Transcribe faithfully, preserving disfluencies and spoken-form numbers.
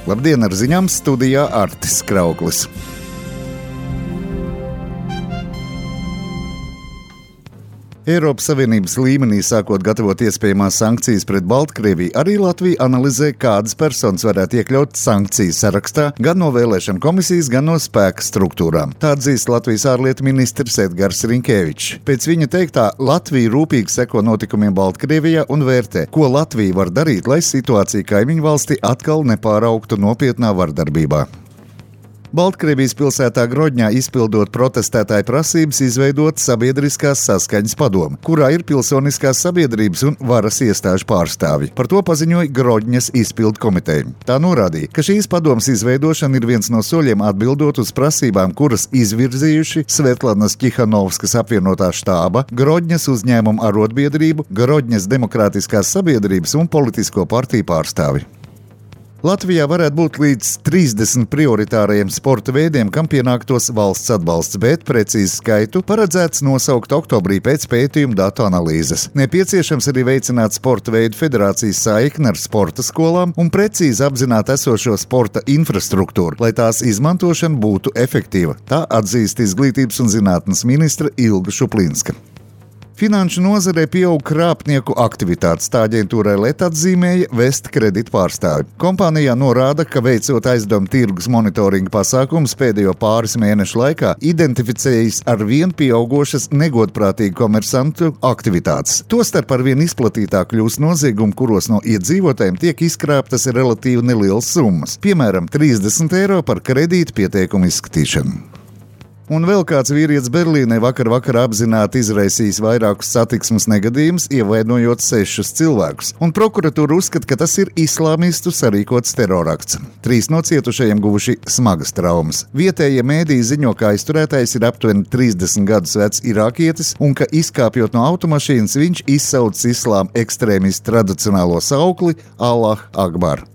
Labdien, ar ziņām studijā Artis Krauklis. Eiropas Savienības līmenī sākot gatavot iespējamās sankcijas pret Baltkrieviju, arī Latvija analizē, kādas personas varētu iekļaut sankciju sarakstā gan no vēlēšanu komisijas, gan no spēka struktūrām. Tā atzīst Latvijas ārlietu ministrs Edgars Rinkēvičs. Pēc viņa teiktā, Latvija rūpīgi seko notikumiem Baltkrievijā un vērtē, ko Latvija var darīt, lai situācija kaimiņu valstī atkal nepāraugtu nopietnā vardarbībā. Baltkrievijas pilsētā Grodņā izpildot protestētāju prasības izveidot sabiedriskās saskaņas padomu, kurā ir pilsoniskās sabiedrības un varas iestāžu pārstāvji. Par to paziņoja Grodņas izpildu komiteja. Tā norādīja, ka šīs padomas izveidošana ir viens no soļiem atbildot uz prasībām, kuras izvirzījuši Svetlanas Ķihanovskas apvienotā štāba, Grodņas uzņēmuma arotbiedrību, Grodņas demokrātiskās sabiedrības un politisko partiju pārstāvji. Latvijā varētu būt līdz trīsdesmit prioritārajiem sporta veidiem, kam pienāktos valsts atbalsts, bet precīzi skaitu paredzēts nosaukt oktobrī pēc pētījuma datu analīzes. Nepieciešams arī veicināt sporta veidu federācijas saikni ar sporta skolām un precīzi apzināt esošo sporta infrastruktūru, lai tās izmantošana būtu efektīva. Tā atzīst izglītības un zinātnes ministra Ilga Šuplinska. Finanšu nozarē pieaug krāpnieku aktivitātes, tā aģentūrai L E T atzīmēja Vest kredītu pārstāvi. Kompānijā norāda, ka veicot aizdevumu tirgus monitoringa pasākumus pēdējo pāris mēnešu laikā, identificējis ar vien pieaugošas negodprātīgu komersantu aktivitātes. Tostarp ar vien izplatītāk kļūst noziegumi, kuros no iedzīvotājiem tiek izkrāptas relatīvi nelielas summas, piemēram, trīsdesmit eiro par kredītu pieteikumu izskatīšanu. Un vēl kāds vīrietis Berlīnē vakar vakarā apzināti izraisījis vairākus satiksmes negadījumus, ievainojot sešus cilvēkus. Un prokuratūra uzskata, ka tas ir islāmistu sarīkots terorakts. Trīs no cietušajiem guvuši smagas traumas. Vietējie mēdīji ziņo, ka aizturētais ir aptuveni trīsdesmit gadus vecs irākietis un ka izkāpjot no automašīnas viņš izsaucis islāma ekstrēmistu tradicionālo saukli Allah Akbar.